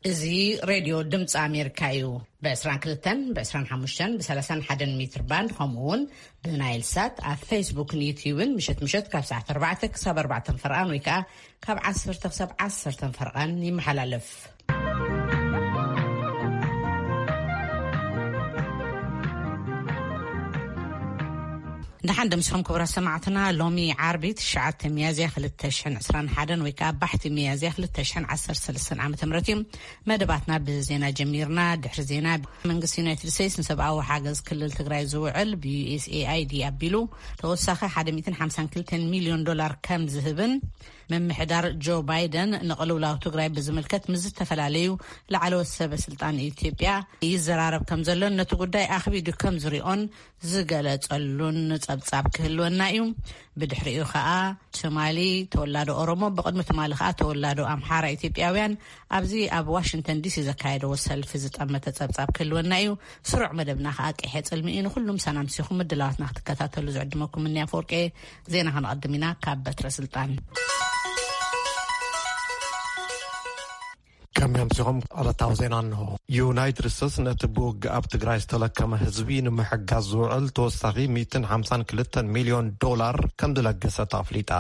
እዚ ሬድዮ ድምፂ ኣሜሪካ እዩ። ብ22፣ ብ25፣ ብ31 ሜትር ባንድ፣ ከምኡ እውን ብናይል ሳት ኣብ ፌስቡክን ዩትዩብን ምሸት ምሸት ካብ ሰዓት ኣርባዕተ ክሳብ ኣርባዕተ ፈርቓን ወይ ከዓ ካብ ዓሰርተ ክሳብ ዓሰርተ ፈርቓን ይመሓላለፍ። ደሓን ደምስኹም ክቡራት ሰማዕትና። ሎሚ ዓርቢ ትሽዓተ ሚያዝያ ክልተ ሽሕን ዕስራን ሓደን ወይ ከዓ ባሕቲ ሚያዝያ ክልተ ሽሕን ዓሰርተ ሰለስተን ዓመተ ምህረት እዩ። መደባትና ብዜና ጀሚርና። ድሕሪ ዜና፣ መንግስቲ ዩናይትድ ስቴትስ ንሰብኣዊ ሓገዝ ክልል ትግራይ ዝውዕል ብዩኤስኤኣይዲ ኣቢሉ ተወሳኺ ሓደ ሚእትን ሓምሳን ክልተን ሚልዮን ዶላር ከም ዝህብን ምምሕዳር ጆ ባይደን ንቅልውላው ትግራይ ብዝምልከት ምስ ዝተፈላለዩ ላዕለዎት ሰበ ስልጣን ኢትዮጵያ ይዘራረብ ከም ዘሎን ነቲ ጉዳይ ኣኽቢዱ ከም ዝሪኦን ዝገለጸሉን ጸብጻብ ክህልወና እዩ። ብድሕሪኡ ከኣ ትማሊ ተወላዶ ኦሮሞ፣ ብቕድሚ ትማሊ ከኣ ተወላዶ ኣምሓራ ኢትዮጵያውያን ኣብዚ ኣብ ዋሽንግተን ዲሲ ዘካየደዎ ሰልፊ ዝጠመተ ጸብጻብ ክህልወና እዩ። ስሩዕ መደብና ከኣ ቀይሐ ጽልሚ እዩ። ንኹሉም ሰላም ሲኹም ምድላዋትና ክትከታተሉ ዝዕድመኩም እኒ ኣፈወርቂ። ዜና ከነቐድም ኢና ካብ በትረ ስልጣን። ከመይ ኣምሲኹም? ዕለታዊ ዜና እንሆ። ዩናይትድ ስቴትስ ነቲ ብውግእ ኣብ ትግራይ ዝተለከመ ህዝቢ ንምሕጋዝ ዝውዕል ተወሳኺ ሚእትን ሓምሳን ክልተን ሚልዮን ዶላር ከም ዝለገሰት ኣፍሊጣ።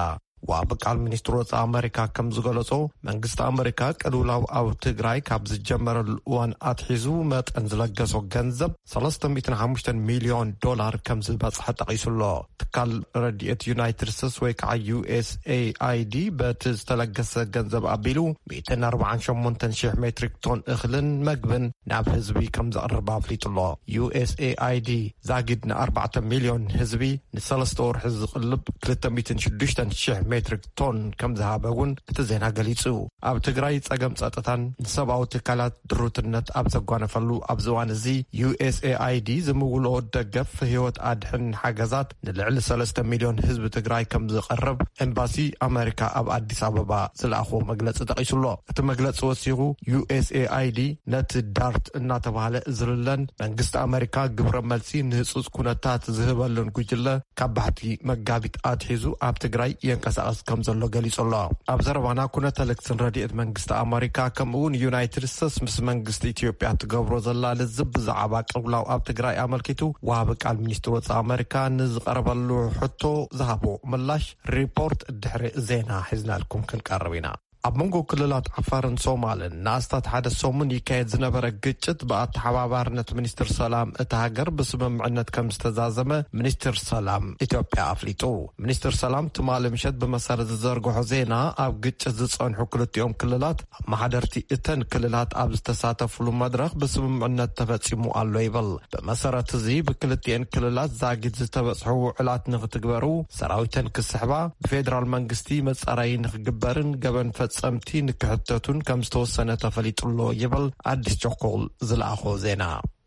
ዋቢ ቃል ሚኒስትር ወጻኢ ኣመሪካ ከም ዝገለጾ፣ መንግስቲ ኣመሪካ ቅልውላው ኣብ ትግራይ ካብ ዝጀመረሉ እዋን ኣትሒዙ መጠን ዝለገሶ ገንዘብ ሰለስተ ሚእትን ሓሙሽተን ሚልዮን ዶላር ከም ዝበጽሐ ጠቒሱ ኣሎ። ትካል ረድኤት ዩናይትድ ስቴትስ ወይ ከዓ ዩኤስኤኣይዲ በቲ ዝተለገሰ ገንዘብ ኣቢሉ ሚእትን ኣርባዓን ሸሞንተን ሽሕ ሜትሪክ ቶን እኽልን መግብን ናብ ህዝቢ ከም ዘቕርብ ኣፍሊጡ ኣሎ። ዩኤስኤኣይዲ ዛጊድ ንኣርባዕተ ሚልዮን ህዝቢ ንሰለስተ ወርሒ ዝቕልብ ክልተ ሚእትን ሽዱሽተን ሽሕ ሜትሪክ ቶን ከም ዝሃበ እውን እቲ ዜና ገሊጹ። ኣብ ትግራይ ጸገም ጸጥታን ንሰብኣዊ ትካላት ድሩትነት ኣብ ዘጓነፈሉ ኣብዚ እዋን እዚ፣ ዩኤስኤኣይዲ ዝምውልኦ ደገፍ ህይወት ኣድሕን ሓገዛት ንልዕሊ ሰለስተ ሚልዮን ህዝቢ ትግራይ ከም ዝቐርብ ኤምባሲ ኣመሪካ ኣብ ኣዲስ ኣበባ ዝለኣኽዎ መግለጺ ጠቒሱ ኣሎ። እቲ መግለጺ ወሲኹ፣ ዩኤስኤኣይዲ ነቲ ዳርት እናተባህለ ዝልለን መንግስቲ ኣመሪካ ግብረ መልሲ ንህጹጽ ኩነታት ዝህበሉን ጉጅለ ካብ ባሕቲ መጋቢት ኣትሒዙ ኣብ ትግራይ የንቀሳቐስ ከም ዘሎ ገሊጹ ኣሎ። ኣብ ዘረባና፣ ኩነተ ልክስን ረድኤት መንግስቲ ኣመሪካ ከምኡ እውን ዩናይትድ ስቴትስ ምስ መንግስቲ ኢትዮጵያ ትገብሮ ዘላ ልዝብ ብዛዕባ ቅልውላው ኣብ ትግራይ ኣመልኪቱ፣ ወሃቢ ቃል ሚኒስትር ወጻኢ ኣመሪካ ንዝቐረበሉ ሕቶ ዝሃቦ ምላሽ ሪፖርት ድሕሪ ዜና ሒዝናልኩም ክንቀርብ ኢና። ኣብ መንጎ ክልላት ዓፋርን ሶማልን ንኣስታት ሓደ ሰሙን ይካየድ ዝነበረ ግጭት ብኣተሓባባርነት ሚኒስትር ሰላም እታ ሃገር ብስምምዕነት ከም ዝተዛዘመ ሚኒስትር ሰላም ኢትዮጵያ ኣፍሊጡ። ሚኒስትር ሰላም ትማሊ ምሸት ብመሰረት ዝዘርግሖ ዜና፣ ኣብ ግጭት ዝጸንሑ ክልቲኦም ክልላት ኣመሓደርቲ እተን ክልላት ኣብ ዝተሳተፍሉ መድረኽ ብስምምዕነት ተፈጺሙ ኣሎ ይብል። ብመሰረት እዚ፣ ብክልቲኤን ክልላት ዛጊት ዝተበጽሑ ውዕላት ንክትግበሩ፣ ሰራዊተን ክስሕባ፣ ብፌደራል መንግስቲ መጻረዪ ንክግበርን ገበን ፈጸምቲ ንክሕተቱን ከም ዝተወሰነ ተፈሊጡ ኣሎ ይብል ኣዲስ ቸኮል ዝለኣኾ ዜና።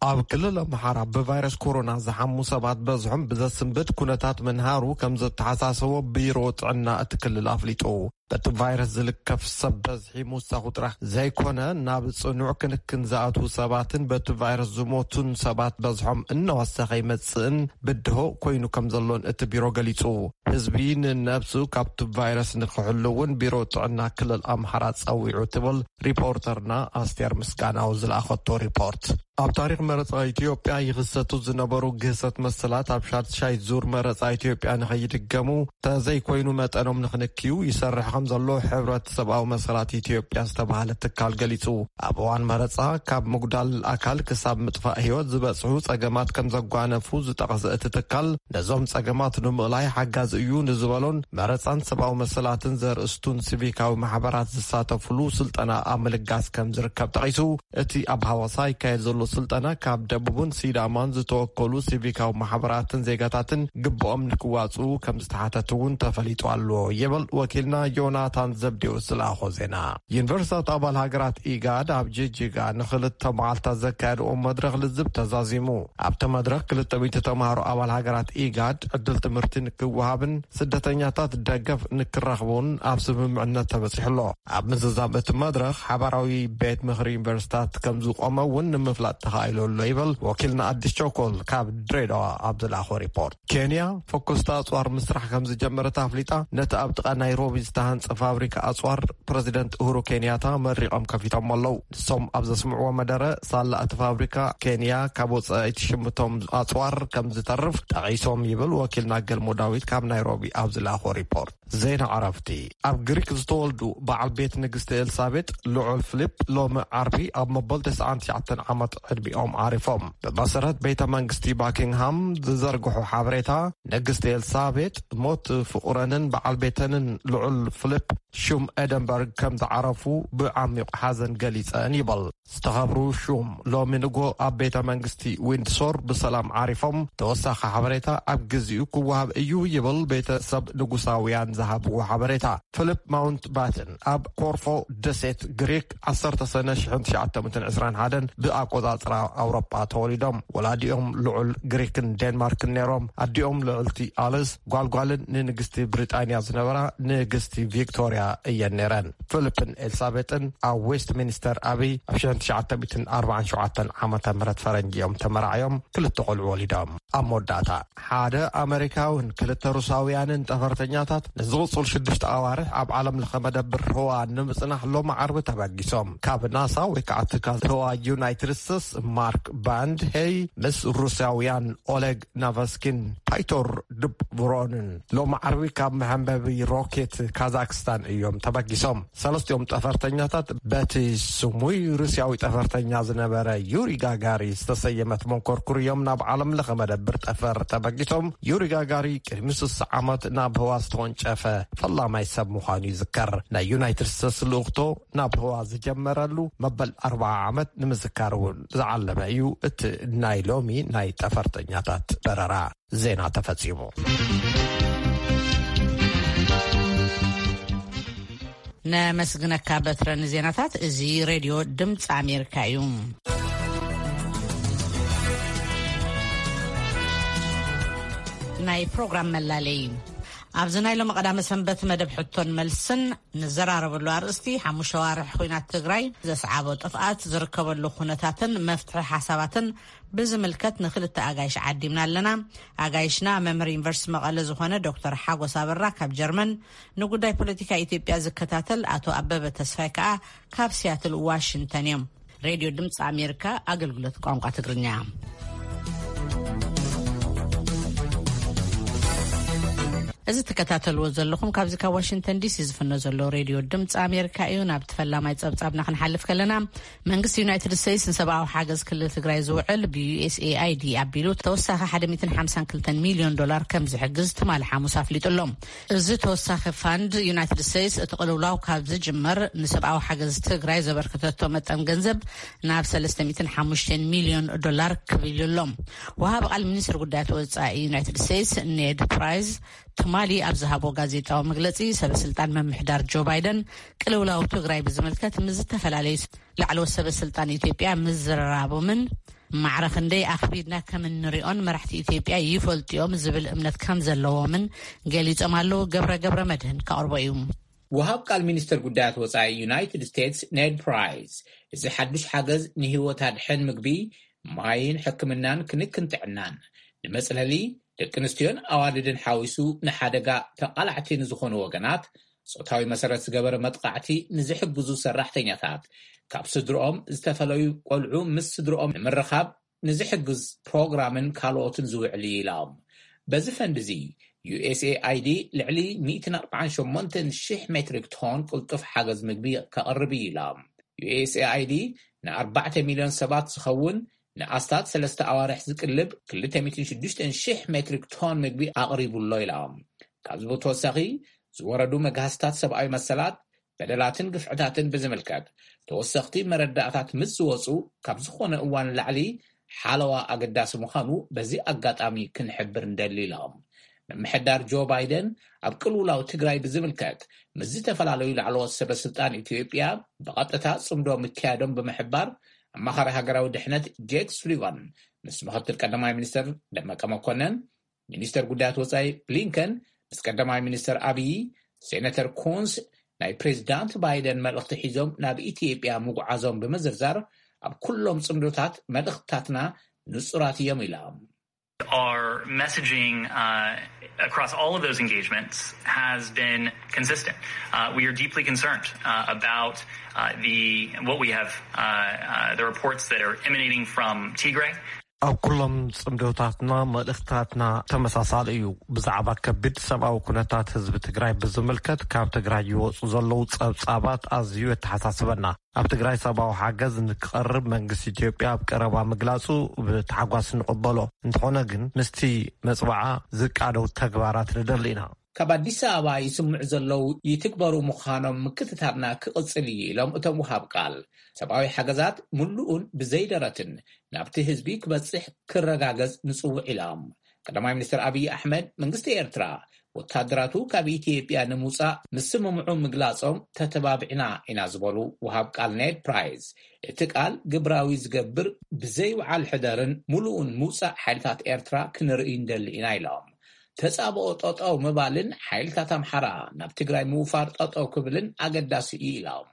ኣብ ክልል ኣምሓራ ብቫይረስ ኮሮና ዝሓሙ ሰባት በዝሖም ብዘስንብድ ኩነታት ምንሃሩ ከም ዘተሓሳሰቦ ቢሮ ጥዕና እቲ ክልል ኣፍሊጡ። በቲ ቫይረስ ዝልከፍ ሰብ በዝሒ ምውሳኹ ጥራሕ ዘይኮነ፣ ናብ ጽኑዕ ክንክን ዝኣትዉ ሰባትን በቲ ቫይረስ ዝሞቱን ሰባት በዝሖም እናወሰኸ ይመጽእን ብድሆ ኮይኑ ከም ዘሎን እቲ ቢሮ ገሊጹ። ህዝቢ ንነብሱ ካብቲ ቫይረስ ንክሕሉ እውን ቢሮ ጥዕና ክልል ኣምሓራ ጸዊዑ ትብል ሪፖርተርና ኣስቴር ምስጋናው ዝለኣኸቶ ሪፖርት። ኣብ ታሪኽ መረጻ ኢትዮጵያ ይኽሰቱ ዝነበሩ ግህሰት መሰላት ኣብ ሻድሻይ ዙር መረጻ ኢትዮጵያ ንኸይድገሙ፣ ተዘይኮይኑ መጠኖም ንኽንክዩ ይሰርሕ ከም ዘሎ ሕብረት ሰብኣዊ መሰላት ኢትዮጵያ ዝተባህለ ትካል ገሊጹ። ኣብ እዋን መረጻ ካብ ምጉዳል ኣካል ክሳብ ምጥፋእ ህይወት ዝበጽሑ ጸገማት ከም ዘጓነፉ ዝጠቐሰ እቲ ትካል፣ ነዞም ጸገማት ንምእላይ ሓጋዚ እዩ ንዝበሎን መረጻን ሰብኣዊ መሰላትን ዘርእስቱን ሲቪካዊ ማሕበራት ዝሳተፉሉ ስልጠና ኣብ ምልጋስ ከም ዝርከብ ጠቒሱ፣ እቲ ኣብ ሃዋሳ ይካየድ ዘሎ ስልጠና ካብ ደቡብን ሲዳማን ዝተወከሉ ሲቪካዊ ማሕበራትን ዜጋታትን ግብኦም ንክዋጽኡ ከም ዝተሓተቱ እውን ተፈሊጡ ኣሎ ይብል ወኪልና ዮናታን ዘብዴዎስ ዝለኣኾ ዜና። ዩኒቨርሲታት ኣባል ሃገራት ኢጋድ ኣብ ጅጅጋ ንክልተ መዓልታት ዘካየድዎ መድረኽ ልዝብ ተዛዚሙ። ኣብቲ መድረኽ ክልተ ሚእቲ ተምሃሮ ኣባል ሃገራት ኢጋድ ዕድል ትምህርቲ ንክወሃብን ስደተኛታት ደገፍ ንክረኽቡን ኣብ ስምምዕነት ተበጺሑ ኣሎ። ኣብ ምዝዛም እቲ መድረኽ ሓባራዊ ቤት ምኽሪ ዩኒቨርሲታት ከም ዝቆመ እውን ንምፍላጥ ተኻኢሉ ኣሎ ይብል ወኪልና ኣዲስ ቸኮል ካብ ድሬዳዋ ኣብ ዝለኣኾ ሪፖርት። ኬንያ ፈኮስታ ኣጽዋር ምስራሕ ከም ዝጀመረት ኣፍሊጣ፣ ነቲ ኣብ ጥቓ ናይሮቢ ዝተሃን ፋብሪካ ኣጽዋር ፕረዚደንት ኡሁሩ ኬንያታ መሪቖም ከፊቶም ኣለዉ። ንሶም ኣብ ዘስምዕዎ መደረ፣ ሳላ እቲ ፋብሪካ ኬንያ ካብ ወጻኢት ሽምቶም ኣጽዋር ከም ዝተርፍ ጠቒሶም ይብል ወኪልና ገልሞ ዳዊት ካብ ናይሮቢ ኣብ ዝለኣኾ ሪፖርት። ዜና ዕረፍቲ። ኣብ ግሪክ ዝተወልዱ በዓል ቤት ንግስቲ ኤልሳቤጥ ልዑል ፊሊፕ ሎሚ ዓርቢ ኣብ መበል ተስዓን ትሽዓተን ዓመት ዕድሚኦም ዓሪፎም። ብመሰረት ቤተ መንግስቲ ባኪንግሃም ዝዘርግሑ ሓበሬታ፣ ንግስቲ ኤልሳቤጥ ሞት ፍቑረንን በዓል ቤተንን ልዑል ፊሊፕ ሹም ኤደንበርግ ከም ዝዓረፉ ብዓሚቕ ሓዘን ገሊጸን ይበል። ዝተኸብሩ ሹም ሎሚ ንጎ ኣብ ቤተ መንግስቲ ዊንድሶር ብሰላም ዓሪፎም። ተወሳኺ ሓበሬታ ኣብ ግዚኡ ክወሃብ እዩ ይብል ቤተሰብ ንጉሳውያን ዝሃብዎ ሓበሬታ። ፊሊፕ ማውንት ባትን ኣብ ኮርፎ ደሴት ግሪክ ዓሰርተ ሰነ ሽሕን ትሽዓተ ሚእትን ዕስራን ሓደን ብኣቆጻጽራ ኣውሮጳ ተወሊዶም። ወላዲኦም ልዑል ግሪክን ዴንማርክን ነይሮም። ኣዲኦም ልዕልቲ ኣልስ ጓልጓልን ንንግስቲ ብሪጣንያ ዝነበራ ንግስቲ ቪክቶርያ እየን ነይረን። ፊሊፕን ኤልሳቤጥን ኣብ ዌስት ሚኒስተር ኣቢ ኣብ ሽሕን ትሽዓተ ሚእትን ኣርባዓን ሸውዓተን ዓመተ ምህረት ፈረንጂ እዮም ተመራዕዮም። ክልተ ቆልዑ ወሊዶም። ኣብ መወዳእታ፣ ሓደ ኣመሪካውን ክልተ ሩሳውያንን ጠፈርተኛታት ንዝቕጽል ሽዱሽተ ኣዋርሕ ኣብ ዓለም ለኸ መደብር ህዋ ንምጽናሕ ሎሚ ዓርቢ ተበጊሶም። ካብ ናሳ ወይ ከዓ ትካል ህዋ ዩናይትድ ስቴትስ ማርክ ባንድ ሄይ ምስ ሩሳውያን ኦሌግ ናቫስኪን ፓይቶር ድብሮንን ሎሚ ዓርቢ ካብ መሐንበቢ ሮኬት ካዛክስታን እዮም ተበጊሶም። ሰለስቲኦም ጠፈርተኛታት በቲ ስሙይ ሩስያዊ ጠፈርተኛ ዝነበረ ዩሪ ጋጋሪ ዝተሰየመት መንኮርኩር እዮም ናብ ዓለም ለኸ መደብር ጠፈር ተበጊሶም። ዩሪ ጋጋሪ ቅድሚ ስሳ ዓመት ናብ ህዋ ዝተወንጨፈ ፈላማይ ሰብ ምዃኑ ይዝከር። ናይ ዩናይትድ ስቴትስ ልኡኽቶ ናብ ህዋ ዝጀመረሉ መበል ኣርብዓ ዓመት ንምዝካር እውን ዝዓለመ እዩ። እቲ ናይ ሎሚ ናይ ጠፈርተኛታት በረራ ዜና ተፈጺሙ። ነመስግነካ በትረ ንዜናታት። እዚ ሬድዮ ድምፂ ኣሜሪካ እዩ። ናይ ፕሮግራም መላለይ። ኣብዚ ናይ ሎሚ ቀዳመ ሰንበት መደብ ሕቶን መልስን ንዘራረበሉ ኣርእስቲ፣ ሓሙሽተ ዋርሕ ኲናት ትግራይ ዘስዓቦ ጥፍኣት ዝርከበሉ ኩነታትን መፍትሒ ሓሳባትን ብዝምልከት ንክልተ ኣጋይሽ ዓዲምና ኣለና። ኣጋይሽና መምህር ዩኒቨርሲቲ መቐለ ዝኾነ ዶክተር ሓጎስ ኣበራ ካብ ጀርመን፣ ንጉዳይ ፖለቲካ ኢትዮጵያ ዝከታተል ኣቶ ኣበበ ተስፋይ ከኣ ካብ ሲያትል ዋሽንግተን እዮም። ሬድዮ ድምፂ ኣሜሪካ ኣገልግሎት ቋንቋ ትግርኛ። እዚ ትከታተልዎ ዘለኹም ካብዚ ካብ ዋሽንግተን ዲሲ ዝፍኖ ዘሎ ሬድዮ ድምፂ ኣሜሪካ እዩ። ናብቲ ፈላማይ ጸብጻብና ክንሓልፍ ከለና፣ መንግስቲ ዩናይትድ ስቴትስ ንሰብኣዊ ሓገዝ ክልል ትግራይ ዝውዕል ብዩ ኤስ ኤ ኣይ ዲ ኣቢሉ ተወሳኺ ሓደ ሚእትን ሓምሳን ክልተን ሚልዮን ዶላር ከም ዝሕግዝ ትማሊ ሓሙስ ኣፍሊጡ ኣሎ። እዚ ተወሳኺ ፋንድ ዩናይትድ ስቴትስ እቲ ቅልውላው ካብ ዝጅመር ንሰብኣዊ ሓገዝ ትግራይ ዘበርከተቶ መጠን ገንዘብ ናብ ሰለስተ ሚእትን ሓሙሽተን ሚልዮን ዶላር ክብል ኣሎ። ወሃቢ ቃል ሚኒስትር ጉዳያት ወጻኢ ዩናይትድ ስቴትስ ኔድ ፕራይስ ትማሊ ኣብ ዝሃቦ ጋዜጣዊ መግለጺ፣ ሰበ ስልጣን ምምሕዳር ጆ ባይደን ቅልውላው ትግራይ ብዝምልከት ምስ ዝተፈላለዩ ላዕለዎት ሰበ ስልጣን ኢትዮጵያ ምዝርራቦምን ማዕረ ክንደይ ኣኽቢድና ከም እንሪኦን መራሕቲ ኢትዮጵያ ይፈልጡ እዮም ዝብል እምነት ከም ዘለዎምን ገሊጾም ኣለዉ። ገብረ ገብረ መድህን ከቕርቦ እዩ። ወሃብ ቃል ሚኒስትር ጉዳያት ወጻኢ ዩናይትድ ስቴትስ ኔድ ፕራይስ፣ እዚ ሓዱሽ ሓገዝ ንህይወት ኣድሕን ምግቢ፣ ማይን ሕክምናን ክንክን ጥዕናን፣ ንመጽለሊ ደቂ ኣንስትዮን ኣዋልድን ሓዊሱ ንሓደጋ ተቓላዕቲ ንዝኾኑ ወገናት፣ ጾታዊ መሰረት ዝገበረ መጥቃዕቲ ንዝሕግዙ ሰራሕተኛታት፣ ካብ ስድርኦም ዝተፈለዩ ቆልዑ ምስ ስድርኦም ንምርኻብ ንዝሕግዝ ፕሮግራምን ካልኦትን ዝውዕል እዩ ኢሎም። በዚ ፈንድ እዚ ዩ ኤስ ኤ ኣይ ዲ ልዕሊ ሚእትን ኣርባዓን ሸሞንተን ሽሕ ሜትሪክ ቶን ቅልጡፍ ሓገዝ ምግቢ ከቕርብ እዩ ኢሎም። ዩ ኤስ ኤ ኣይ ዲ ንኣርባዕተ ሚልዮን ሰባት ዝኸውን ንኣስታት ሰለስተ ኣዋርሕ ዝቅልብ ክልተ ሚእትን ሽዱሽተን ሽሕ ሜትሪክ ቶን ምግቢ ኣቕሪቡ ኣሎ ኢሎም። ካብዚ ብተወሳኺ ዝወረዱ መግሃስታት ሰብኣዊ መሰላት፣ በደላትን ግፍዕታትን ብዝምልከት ተወሰኽቲ መረዳእታት ምስ ዝወፁ ካብ ዝኾነ እዋን ንላዕሊ ሓለዋ ኣገዳሲ ምዃኑ በዚ ኣጋጣሚ ክንሕብር ንደሊ ኢሎም። ምምሕዳር ጆ ባይደን ኣብ ቅልውላው ትግራይ ብዝምልከት ምስ ዝተፈላለዩ ላዕለዎት ሰበ ስልጣን ኢትዮጵያ ብቐጥታ ጽምዶ ምክያዶም ብምሕባር፣ ኣማኻሪ ሃገራዊ ድሕነት ጄክ ሱሊቫን ምስ ምኽትል ቀዳማይ ሚኒስትር ደመቀ መኮነን፣ ሚኒስተር ጉዳያት ወጻኢ ብሊንከን ምስ ቀዳማይ ሚኒስተር ኣብዪ፣ ሴነተር ኩንስ ናይ ፕሬዚዳንት ባይደን መልእኽቲ ሒዞም ናብ ኢትዮጵያ ምጉዓዞም ብምዝርዛር፣ ኣብ ኩሎም ጽምዶታት መልእኽትታትና ንጹራት እዮም ኢሎም። Our messaging uh, across all of those engagements has been consistent. Uh, we are deeply concerned uh, about uh, the what we have uh, uh, the reports that are emanating from Tigray. ኣብ ኩሎም ጽምዶታትና መልእኽታትና ተመሳሳሊ እዩ። ብዛዕባ ከቢድ ሰብኣዊ ኩነታት ህዝቢ ትግራይ ብዝምልከት ካብ ትግራይ ይወጹ ዘለዉ ጸብጻባት ኣዝዩ የተሓሳስበና። ኣብ ትግራይ ሰብኣዊ ሓገዝ ንክቐርብ መንግስቲ ኢትዮጵያ ኣብ ቀረባ ምግላጹ ብታሕጓስ ንቕበሎ። እንተኾነ ግን ምስቲ መጽዋዓ ዝቃደው ተግባራት ንደሊ ኢና። ካብ ኣዲስ ኣበባ ይስምዑ ዘለዉ ይትግበሩ ምዃኖም ምክትታልና ክቕጽል እዩ ኢሎም እቶም ውሃብ ቃል። ሰብኣዊ ሓገዛት ምሉኡን ብዘይደረትን ናብቲ ህዝቢ ክበጽሕ ክረጋገጽ ንጽውዕ ኢሎም። ቀዳማይ ሚኒስትር ኣብይ ኣሕመድ መንግስቲ ኤርትራ ወታደራቱ ካብ ኢትዮጵያ ንምውጻእ ምስምምዑ ምግላጾም ተተባቢዕና ኢና ዝበሉ ውሃብ ቃል ኔድ ፕራይዝ፣ እቲ ቃል ግብራዊ ዝገብር ብዘይውዓል ሕደርን ምሉኡን ምውጻእ ሓይልታት ኤርትራ ክንርኢ እንደሊ ኢና ኢሎም። ተጻብኦ ጠጠው ምባልን ሓይልታት ኣምሓራ ናብ ትግራይ ምውፋር ጠጠው ክብልን ኣገዳሲ እዩ ኢሎም።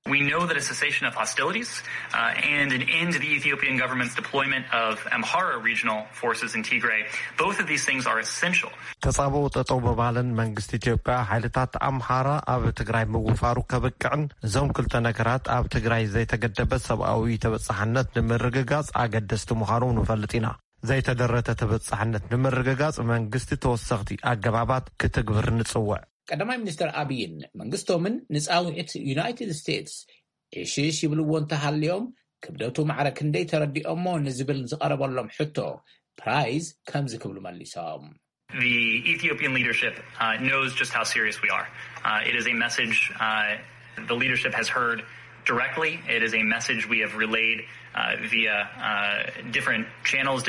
We know that a cessation of hostilities uh, and an end to the Ethiopian government's deployment of Amhara regional forces in Tigray, both of these things are essential. ተጻብኦ ጠጠው ምባልን መንግስቲ ኢትዮጵያ ሓይልታት ኣምሓራ ኣብ ትግራይ ምውፋሩ ከብቅዕን እዞም ክልተ ነገራት ኣብ ትግራይ ዘይተገደበ ሰብኣዊ ተበጻሕነት ንምርግጋጽ ኣገደስቲ ምዃኖም ንፈልጥ ኢና። ዘይተደረተ ተበጻሕነት ንምርግጋጽ መንግስቲ ተወሰኽቲ ኣገባባት ክትግብር ንጽውዕ። ቀዳማይ ሚኒስትር ኣብይን መንግስቶምን ንጻውዒት ዩናይትድ ስቴትስ ዕሽሽ ይብልዎ እንተሃልዮም፣ ክብደቱ ማዕረ ክንደይ ተረዲኦሞ ንዝብል ዝቐረበሎም ሕቶ ፕራይዝ ከምዚ ክብሉ መሊሶም። The Ethiopian leadership uh, knows just how serious we are. Uh, it is a message uh, the leadership has heard directly. It is a message we have relayed uh, via uh, different channels.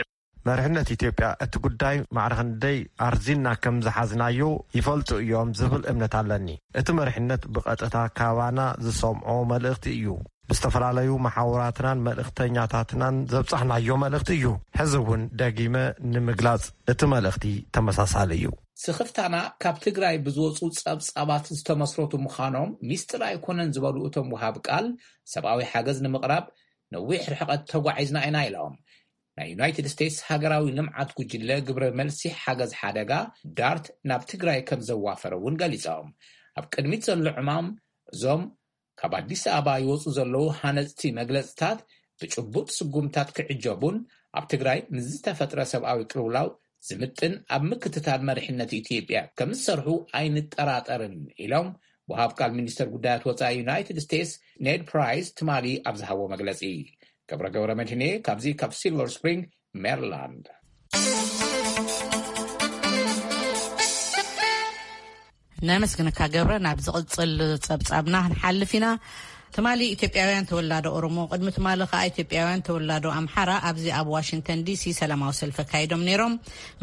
መሪሕነት ኢትዮጵያ እቲ ጉዳይ ማዕረ ክንደይ ኣርዚንና ከም ዝሓዝናዮ ይፈልጡ እዮም ዝብል እምነት ኣለኒ። እቲ መሪሕነት ብቐጥታ ካባና ዝሰምዖ መልእኽቲ እዩ። ብዝተፈላለዩ መሓውራትናን መልእኽተኛታትናን ዘብጻሕናዮ መልእኽቲ እዩ። ሕዚ እውን ደጊመ ንምግላጽ እቲ መልእኽቲ ተመሳሳሊ እዩ። ስኽፍታና ካብ ትግራይ ብዝወፁ ጸብጻባት ዝተመስረቱ ምዃኖም ሚስጥር ኣይኮነን ዝበሉ እቶም ውሃብ ቃል፣ ሰብኣዊ ሓገዝ ንምቕራብ ነዊሕ ርሕቐት ተጓዒዝና ኢና ኢሎም። ናይ ዩናይትድ ስቴትስ ሃገራዊ ልምዓት ጉጅለ ግብረ መልሲ ሓገዝ ሓደጋ ዳርት ናብ ትግራይ ከም ዘዋፈረ እውን ገሊጾም። ኣብ ቅድሚት ዘሎ ዕማም እዞም ካብ ኣዲስ ኣበባ ይወፁ ዘለዉ ሃነፅቲ መግለፅታት ብጭቡጥ ስጉምታት ክዕጀቡን ኣብ ትግራይ ምስ ዝተፈጥረ ሰብኣዊ ቅልውላው ዝምጥን ኣብ ምክትታል መሪሕነት ኢትዮጵያ ከም ዝሰርሑ ኣይንጠራጠርን ኢሎም ወሃብ ቃል ሚኒስተር ጉዳያት ወፃኢ ዩናይትድ ስቴትስ ኔድ ፕራይስ ትማሊ ኣብ ዝሃቦ መግለፂ። ገብረ ገብረ መድህኔ ካብዚ ካብ ሲልቨር ስፕሪንግ ሜሪላንድ። ነመስግንካ ገብረ። ናብ ዝቕጽል ጸብጻብና ክንሓልፍ ኢና። ትማሊ ኢትዮጵያውያን ተወላዶ ኦሮሞ፣ ቅድሚ ትማሊ ከኣ ኢትዮጵያውያን ተወላዶ ኣምሓራ ኣብዚ ኣብ ዋሽንግተን ዲሲ ሰላማዊ ሰልፊ ኣካይዶም ነይሮም።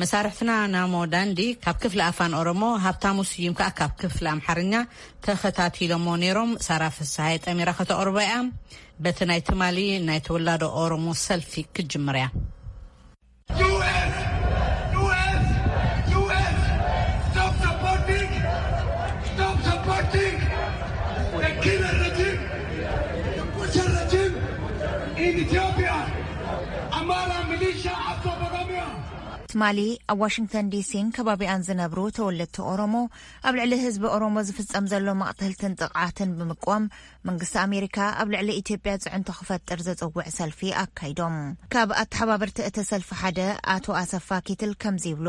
መሳርሕትና ናሞ ዳንዲ ካብ ክፍሊ ኣፋን ኦሮሞ፣ ሃብታሙ ስዩም ከኣ ካብ ክፍሊ ኣምሓርኛ ተኸታቲሎሞ ነይሮም። ሳራ ፍስሃየ ጠሚራ ከተቕርቦ እያ። በቲ ናይ ትማሊ ናይ ተወላዶ ኦሮሞ ሰልፊ ክትጅምር እያ። U S, U S, U S, stop supporting, stop supporting the killer regime, the butcher regime in Ethiopia. Amara militia after Oromia. ትማሊ ኣብ ዋሽንግተን ዲሲን ከባቢኣን ዝነብሩ ተወለድቲ ኦሮሞ ኣብ ልዕሊ ህዝቢ ኦሮሞ ዝፍጸም ዘሎ መቕተልትን ጥቕዓትን ብምቅዋም መንግስቲ ኣሜሪካ ኣብ ልዕሊ ኢትዮጵያ ጽዕንቶ ክፈጥር ዘጽውዕ ሰልፊ ኣካይዶም። ካብ ኣተሓባበርቲ እቲ ሰልፊ ሓደ ኣቶ ኣሰፋ ኪትል ከምዚ ይብሉ።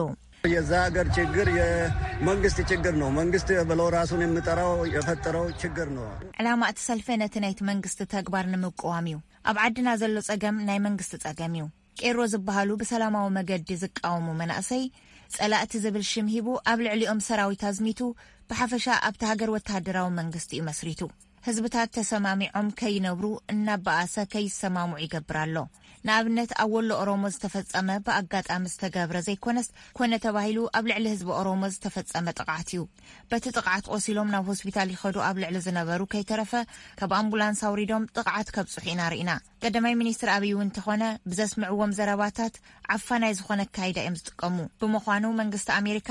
የዛ ሀገር ችግር የመንግስት ችግር ነው። መንግስት ብሎ ራሱን የምጠራው የፈጠረው ችግር ነው። ዕላማ እቲ ሰልፊ ነቲ ናይቲ መንግስቲ ተግባር ንምቅዋም እዩ። ኣብ ዓድና ዘሎ ጸገም ናይ መንግስቲ ጸገም እዩ። ቄሮ ዝበሃሉ ብሰላማዊ መገዲ ዝቃወሙ መናእሰይ ጸላእቲ ዝብል ሽም ሂቡ ኣብ ልዕሊኦም ሰራዊት ኣዝሚቱ ብሓፈሻ ኣብቲ ሃገር ወተሃደራዊ መንግስቲ እዩ መስሪቱ። ህዝብታት ተሰማሚዖም ከይነብሩ እናበኣሰ ከይሰማምዑ ይገብር ኣሎ። ንኣብነት ኣብ ወሎ ኦሮሞ ዝተፈጸመ ብኣጋጣሚ ዝተገብረ ዘይኮነስ ኮነ ተባሂሉ ኣብ ልዕሊ ህዝቢ ኦሮሞ ዝተፈጸመ ጥቕዓት እዩ። በቲ ጥቕዓት ቆሲሎም ናብ ሆስፒታል ይኸዱ ኣብ ልዕሊ ዝነበሩ ከይተረፈ ካብ ኣምቡላንስ ኣውሪዶም ጥቕዓት ከብጽሑ ኢና ርኢና። ቀዳማይ ሚኒስትር ኣብይ እውን እንተኾነ ብዘስምዕዎም ዘረባታት ዓፋናይ ዝኾነ ኣካይዳ እዮም ዝጥቀሙ። ብምዃኑ መንግስቲ ኣሜሪካ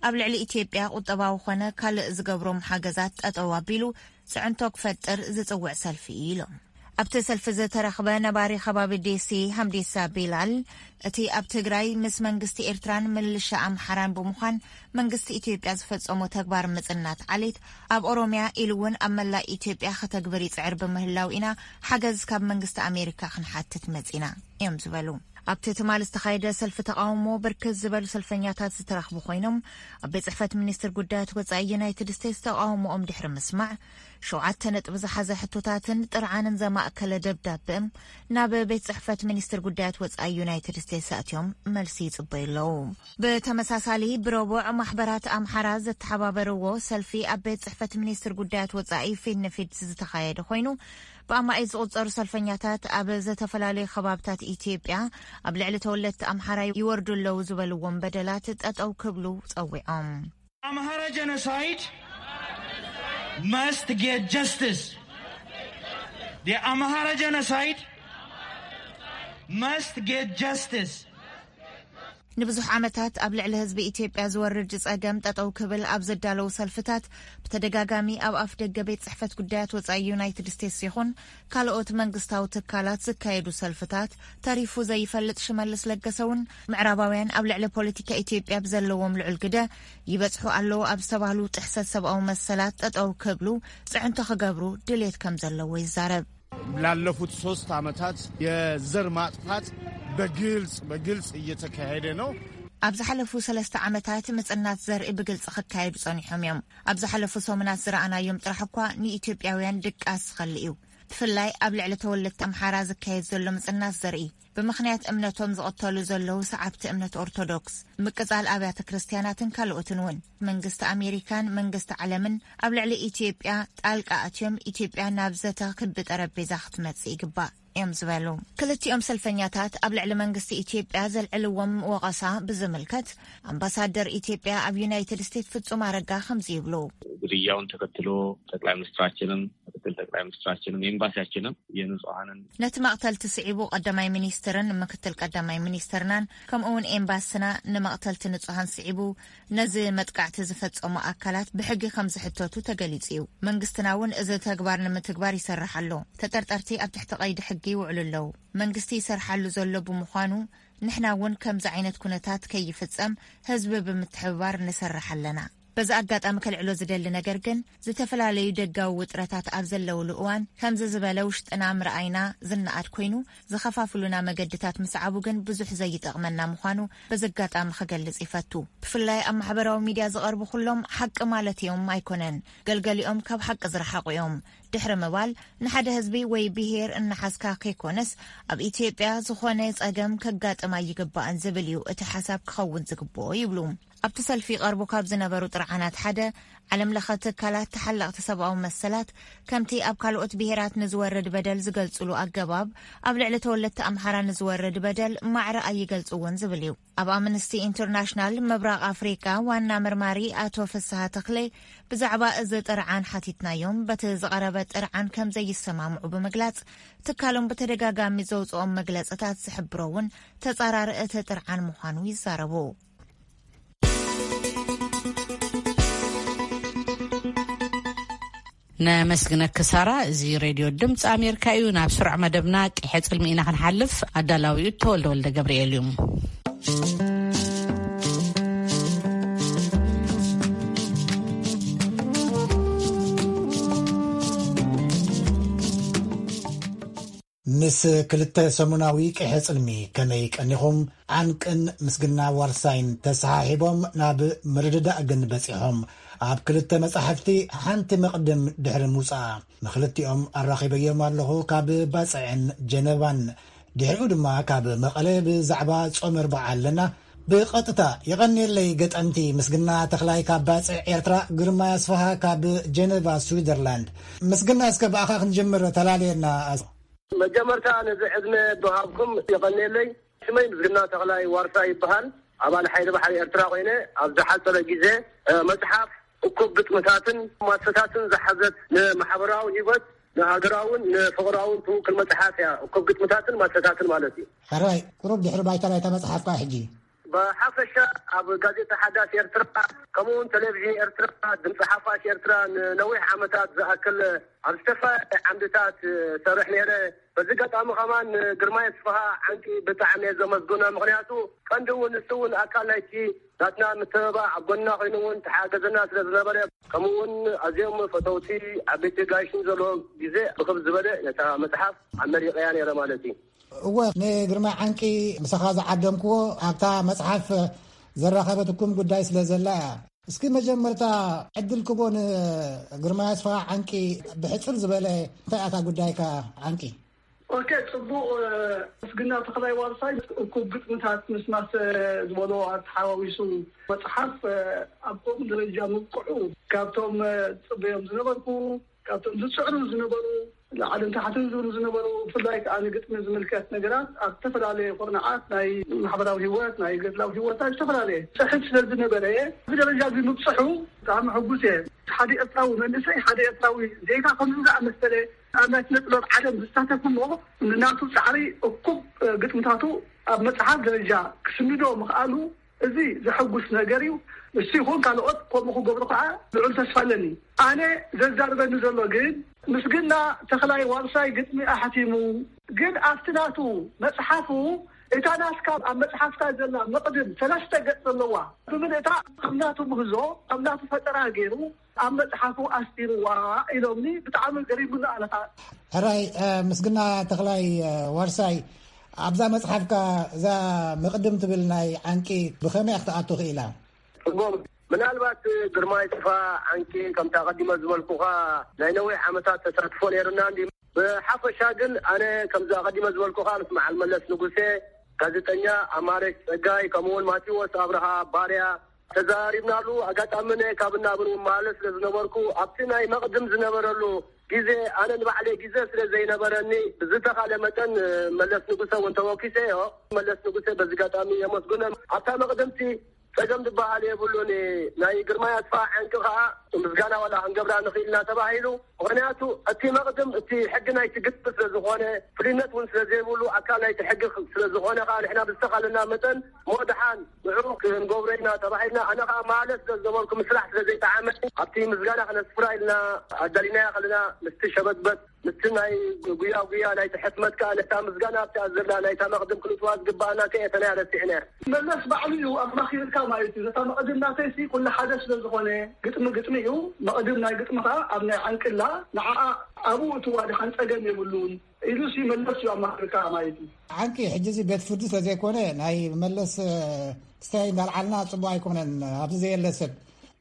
ኣብ ልዕሊ ኢትዮጵያ ቁጠባዊ ኾነ ካልእ ዝገብሮም ሓገዛት ጠጠው ኣቢሉ ፅዕንቶ ክፈጥር ዝፅውዕ ሰልፊ እዩ ኢሎም። ኣብቲ ሰልፊ ዝተረኽበ ነባሪ ከባቢ ዴሲ ሃምዲሳ ቢላል፣ እቲ ኣብ ትግራይ ምስ መንግስቲ ኤርትራን ምልሻ ኣምሓራን ብምዃን መንግስቲ ኢትዮጵያ ዝፈጸሞ ተግባር ምጽናት ዓሌት ኣብ ኦሮሚያ ኢሉ እውን ኣብ መላእ ኢትዮጵያ ከተግብር ይጽዕር ብምህላው ኢና ሓገዝ ካብ መንግስቲ ኣሜሪካ ክንሓትት መጺና እዮም ዝበሉ። ኣብቲ ትማል ዝተኻየደ ሰልፊ ተቃውሞ ብርክት ዝበሉ ሰልፈኛታት ዝተረኽቡ ኮይኖም፣ ኣብ ቤት ጽሕፈት ሚኒስትር ጉዳያት ወጻኢ ዩናይትድ ስቴትስ ተቃውሞኦም ድሕሪ ምስማዕ፣ ሸውዓተ ነጥቢ ዝሓዘ ሕቶታትን ጥርዓንን ዘማእከለ ደብዳብእም ናብ ቤት ጽሕፈት ሚኒስትር ጉዳያት ወጻኢ ዩናይትድ ስቴትስ ኣትዮም መልሲ ይጽበዩ ኣለዉ። ብተመሳሳሊ ብረቡዕ ማሕበራት ኣምሓራ ዘተሓባበርዎ ሰልፊ ኣብ ቤት ጽሕፈት ሚኒስትር ጉዳያት ወጻኢ ፊት ንፊት ዝተኻየደ ኮይኑ፣ ብኣማኢት ዝቑጸሩ ሰልፈኛታት ኣብ ዝተፈላለዩ ከባብታት ኢትዮጵያ ኣብ ልዕሊ ተወለድቲ ኣምሓራ ይወርዱ ኣለዉ ዝበልዎም በደላት ጠጠው ክብሉ ጸዊዖም። Amhara genocide must get justice. The Amhara genocide must get justice. ንብዙሕ ዓመታት ኣብ ልዕሊ ህዝቢ ኢትዮጵያ ዝወርድ ጸገም ጠጠው ክብል ኣብ ዘዳለዉ ሰልፍታት፣ ብተደጋጋሚ ኣብ ኣፍ ደገ ቤት ጽሕፈት ጉዳያት ወጻኢ ዩናይትድ ስቴትስ ይኹን ካልኦት መንግስታዊ ትካላት ዝካየዱ ሰልፍታት ተሪፉ ዘይፈልጥ ሽመልስ ለገሰ እውን፣ ምዕራባውያን ኣብ ልዕሊ ፖለቲካ ኢትዮጵያ ብዘለዎም ልዑል ግደ ይበጽሑ ኣለዉ ኣብ ዝተባህሉ ጥሕሰት ሰብኣዊ መሰላት ጠጠው ክብሉ ጽዕንቶ ክገብሩ ድሌት ከም ዘለዎ ይዛረብ። ላለፉት ሶስት ዓመታት የዘር ማጥፋት በግልጽ በግልጽ እየተካሄደ ነው። ኣብ ዝሓለፉ ሰለስተ ዓመታት ምጽናት ዘርኢ ብግልጺ ክካየዱ ጸኒሖም እዮም። ኣብ ዝሓለፉ ሰሙናት ዝረኣናዮም ጥራሕ እኳ ንኢትዮጵያውያን ድቃስ ዝኸሊ እዩ። ብፍላይ ኣብ ልዕሊ ተወለድቲ ኣምሓራ ዝካየድ ዘሎ ምጽናት ዘርኢ፣ ብምኽንያት እምነቶም ዝቕተሉ ዘለዉ ሰዓብቲ እምነት ኦርቶዶክስ፣ ምቅጻል ኣብያተ ክርስትያናትን ካልኦትን እውን። መንግስቲ ኣሜሪካን መንግስቲ ዓለምን ኣብ ልዕሊ ኢትዮጵያ ጣልቃ ኣትዮም ኢትዮጵያ ናብ ዘተ ክቢ ጠረጴዛ ክትመጽእ ይግባእ እዮም ዝበሉ። ክልቲኦም ሰልፈኛታት ኣብ ልዕሊ መንግስቲ ኢትዮጵያ ዘልዕልዎም ወቐሳ ብዝምልከት፣ ኣምባሳደር ኢትዮጵያ ኣብ ዩናይትድ ስቴትስ ፍጹም ኣረጋ ከምዚ ይብሉ። ግድያውን ተከትሎ ጠቅላይ ሚኒስትራችንም ምክትል ጠቅላይ ሚኒስትራችንም ኤምባሲያችንም የንጹሃንን ነቲ መቕተልቲ ስዒቡ ቀዳማይ ሚኒስትርን ምክትል ቀዳማይ ሚኒስትርናን ከምኡ እውን ኤምባስና ንመቕተልቲ ንጹሃን ስዒቡ ነዚ መጥቃዕቲ ዝፈጸሙ ኣካላት ብሕጊ ከም ዝሕተቱ ተገሊጹ እዩ። መንግስትና እውን እዚ ተግባር ንምትግባር ይሰርሕ ኣሎ። ተጠርጠርቲ ኣብ ትሕቲ ቀይዲ ሕጊ ይውዕሉ ኣለዉ። መንግስቲ ይሰርሓሉ ዘሎ ብምዃኑ፣ ንሕና እውን ከምዚ ዓይነት ኩነታት ከይፍጸም ህዝቢ ብምትሕብባር ንሰርሕ ኣለና። በዚ ኣጋጣሚ ከልዕሎ ዝደሊ ነገር ግን፣ ዝተፈላለዩ ደጋዊ ውጥረታት ኣብ ዘለውሉ እዋን ከምዚ ዝበለ ውሽጥና ምርኣይና ዝነኣድ ኮይኑ፣ ዝኸፋፍሉና መገድታት ምስዓቡ ግን ብዙሕ ዘይጠቕመና ምዃኑ በዚ ኣጋጣሚ ክገልጽ ይፈቱ። ብፍላይ ኣብ ማሕበራዊ ሚድያ ዝቐርቡ ኩሎም ሓቂ ማለት እዮም ኣይኮነን፣ ገልገሊኦም ካብ ሓቂ ዝረሓቑ እዮም። ድሕሪ ምባል፣ ንሓደ ህዝቢ ወይ ብሄር እናሓዝካ ከይኮነስ፣ ኣብ ኢትዮጵያ ዝኾነ ጸገም ከጋጥም ኣይግባእን ዝብል እዩ እቲ ሓሳብ ክኸውን ዝግብኦ ይብሉ። ኣብቲ ሰልፊ ይቐርቡ ካብ ዝነበሩ ጥርዓናት ሓደ፣ ዓለም ለኸ ትካላት ተሓለቕቲ ሰብኣዊ መሰላት ከምቲ ኣብ ካልኦት ብሄራት ንዝወርድ በደል ዝገልጽሉ ኣገባብ፣ ኣብ ልዕሊ ተወለድቲ ኣምሓራ ንዝወርድ በደል ማዕረ ኣይገልጽዎን ዝብል እዩ። ኣብ ኣምነስቲ ኢንተርናሽናል ምብራቕ ኣፍሪቃ ዋና መርማሪ ኣቶ ፍስሃ ተኽለ ብዛዕባ እዚ ጥርዓን ሓቲትናዮም፣ በቲ ዝቐረበ ጥርዓን ከም ዘይሰማምዑ ብምግላጽ፣ ትካሎም ብተደጋጋሚ ዘውጽኦም መግለጽታት ዝሕብሮ እውን ተጻራሪ እቲ ጥርዓን ምዃኑ ይዛረቡ። ነመስግነኪ ሳራ። እዚ ሬድዮ ድምፂ ኣሜሪካ እዩ። ናብ ስሩዕ መደብና ቅሐ ፅልሚ ኢና ክንሓልፍ። ኣዳላዊኡ ተወልደ ወልደ ገብርኤል እዩ። ምስ ክልተ ሰሙናዊ ቅሐ ጽልሚ ከመይ ቀኒኹም? ዓንቅን ምስግና ዋርሳይን ተሰሓሒቦም ናብ ምርድዳእ ግን በጺሖም። ኣብ ክልተ መጻሕፍቲ ሓንቲ መቕድም ድሕሪ ምውጻኣ፣ ንኽልቲኦም ኣራኺበዮም ኣለኹ፣ ካብ ባጽዕን ጀነቫን። ድሕሪኡ ድማ ካብ መቐለ ብዛዕባ ጾመ ኣርብዓ ኣለና። ብቐጥታ የቐንየለይ ገጠምቲ። ምስግና ተኽላይ ካብ ባጽዕ ኤርትራ፣ ግርማይ ኣስፍሃ ካብ ጀነቫ ስዊዘርላንድ። ምስግና፣ እስከ ብኣኻ ክንጅምር፣ ተላለየና። መጀመርታ ነዚ ዕድመ ብሃብኩም የቐንየለይ። ሽመይ ምስግና ተኽላይ ዋርሳ ይበሃል። ኣባል ሓይሊ ባሕሪ ኤርትራ ኮይነ ኣብ ዝሓጸረ ግዜ፣ እ፣ መጽሓፍ እኩብ ግጥምታትን ማሰታትን ዝሓዘት ንማሕበራዊ ህይወት፣ ንሃገራውን ንፍቕራውን ትውክል መጽሓፍ እያ። እኩብ ግጥምታትን ማሰታትን ማለት እዩ። ሕራይ፣ ቁሩብ ድሕሪ ባይታ ናይታ መጽሓፍካ ሕጂ። ብሓፈሻ ኣብ ጋዜጣ ሓዳስ ኤርትራ፣ ከምኡ እውን ቴሌቪዥን ኤርትራ፣ ድምፂ ሓፋሽ ኤርትራ ንነዊሕ ዓመታት ዝኣክል ኣብ ዝተፈላለየ ዓምድታት ሰርሕ ነይረ። በዚ ኣጋጣሚ ከማን ንግርማይ ኣስፍሃ ዓንቂ ብጣዕሚ እየ ዘመስግኖ። ምኽንያቱ ቀንዲ እውን ንሱ እውን ኣካል ናይቲ ናትና ምትብባዕ ኣብ ጎንና ኮይኑ እውን ተሓገዘና ስለ ዝነበረ፣ ከምኡ እውን ኣዝዮም ፈተውቲ ዓበይቲ ጋይሽን ዘለዎ ግዜ ብክብ ዝበለ ነታ መጽሓፍ ኣመሪቐያ ነይረ ማለት እዩ። እወ፣ ንግርማይ ዓንቂ ምሳኻ ዝዓደምክዎ ኣብታ መጽሓፍ ዘራኸበትኩም ጉዳይ ስለ ዘላ እያ። እስኪ መጀመርታ ዕድል ክቦ ንግርማይ ኣስፍሃ ዓንቂ ብሕጽር ዝበለ እንታይ ኣታ ጉዳይካ ዓንቂ? ኦኬ፣ ጽቡቕ። ምስግና ተኽላይ ዋርሳይ እኩብ ግጥምታት ምስ ማሰ ዝበሎ ኣተሓዋዊሱ መጽሓፍ ኣብ ከምኡ ደረጃ ምብቅዑ ካብቶም ጽበዮም ዝነበርኩ፣ ካብቶም ዝጽዕሩ ዝነበሩ፣ ላዕልን ታሕትን ዝብሉ ዝነበሩ፣ ብፍላይ ከኣ ንግጥሚ ዝምልከት ነገራት ኣብ ዝተፈላለየ ኩርናዓት ናይ ማሕበራዊ ህይወት፣ ናይ ገድላዊ ህይወት፣ ኣብ ዝተፈላለየ ጽሕፍ ስለ ዝነበረ፣ እዚ ደረጃ እዚ ምብጽሑ ብጣዕሚ ሕጉስ እየ። ሓደ ኤርትራዊ መንእሰይ፣ ሓደ ኤርትራዊ ዜጋ ከምዚ ዝኣመሰለ ኣብ ናይ ስነ ጥበብ ዓለም ዝሳተፍ እሞ ንናቱ ጻዕሪ እኩብ ግጥምታቱ ኣብ መጽሓፍ ደረጃ ክስንዶ ምኽኣሉ፣ እዚ ዘሐጉስ ነገር እዩ። ንሱ ይኹን ካልኦት ከምኡ ክገብሩ ከዓ ልዑል ተስፋ ኣለኒ። ኣነ ዘዛርበኒ ዘሎ ግን ምስግና ተኽላይ ዋርሳይ ግጥሚ ኣሕቲሙ፣ ግን ኣብቲ ናቱ መጽሓፉ እታ ናትካ ኣብ መጽሓፍካ ዘላ መቕድም ሰለስተ ገጽ ዘለዋ ብምልእታ ኣብ ናቱ ምህዞ፣ ኣብ ናቱ ፈጠራ ገይሩ ኣብ መጽሓፉ ኣስፊርዋ ኢሎምኒ። ብጣዕሚ ገሪሙኒ። ኣነ ኸኣ ሕራይ፣ እ፣ ምስግና ተኽላይ፣ እ፣ ዋርሳይ፣ ኣብዛ መጽሓፍካ እዛ መቕድም ትብል ናይ ዓንቂ ብኸመይ ክትኣቱ ክኢላ? ጽቡቕ። ምናልባት ግርማይ ኣስፍሃ ዓንቂ ከምቲ ኣቐዲመ ዝበልኩኻ ናይ ነዊሕ ዓመታት ተሳትፎ ነይሩና እንዲ። ብሓፈሻ ግን ኣነ ከምዚ ኣቐዲመ ዝበልኩኻ ምስ መዓል መለስ ንጉሴ፣ ጋዜጠኛ ኣማረች ጸጋይ፣ ከምኡ እውን ማቴዎስ ኣብርሃ ባርያ ተዘራሪብናሉ። ኣጋጣሚ እነ ካብ እናብን እውን ማለት ስለ ዝነበርኩ ኣብቲ ናይ መቕድም ዝነበረሉ ግዜ ኣነ ንባዕለይ ግዜ ስለ ዘይነበረኒ ብዝተኻለ መጠን መለስ ንጉሰ እውን ተወኪሰዮ። መለስ ንጉሰ በዚ ኣጋጣሚ የመስግኖ። ኣብታ መቕድምቲ ጸገም ዝበሃል የብሉን። ናይ ግርማይ ኣስፍሃ ዓንቂ ከኣ ምስጋና ዋላ ክንገብራ ንኽእል ኢና ተባሂሉ። ምኽንያቱ እቲ መቕድም እቲ ሕጊ ናይቲ ግጥሚ ስለ ዝኾነ፣ ፍልይነት እውን ስለ ዘይብሉ፣ ኣካል ናይቲ ሕጊ ስለ ዝኾነ ከኣ ንሕና ብዝተኻለና መጠን እሞ ደሓን ንዕኡ ክንገብሮ ኢና ተባሂልና። ኣነ ከኣ ማለት ስለ ዝነበርኩ ምስራሕ ስለ ዘይጠዓመኒ ኣብቲ ምስጋና ከነስፍራ ኢልና ኣዳሊናያ ከለና ምስቲ ሸበትበት ምስቲ ናይ ጉያ ጉያ ናይቲ ሕትመት ከኣ ነታ ምስጋና ኣብቲኣ ዘላ ናይታ መቕድም ክንእትዋ ዝግባኣና ከየተናያ ረሲዕናያ። መለስ ባዕሉ እዩ ኣማኺርካ ማለት እዩ። ነታ መቕድም ናተይሲ ኩሉ ሓደ ስለ ዝኾነ ግጥሚ ግጥሚ እዩ፣ መቕድም ናይ ግጥሚ ከኣ ኣብ ናይ ዓንቅላ ንዓኣ ኣብኡ እትዋ ድሓን ጸገም የብሉን ኢሉሲ መለስ እዩ ኣማኺርካ ማለት እዩ። ዓንቂ ሕጂ እዚ ቤት ፍርዲ ስለ ዘይኮነ ናይ መለስ፣ እ፣ ክስታይ እንዳልዓልና ጽቡቕ ኣይኮነን። ኣብዚ ዘየለ ሰብ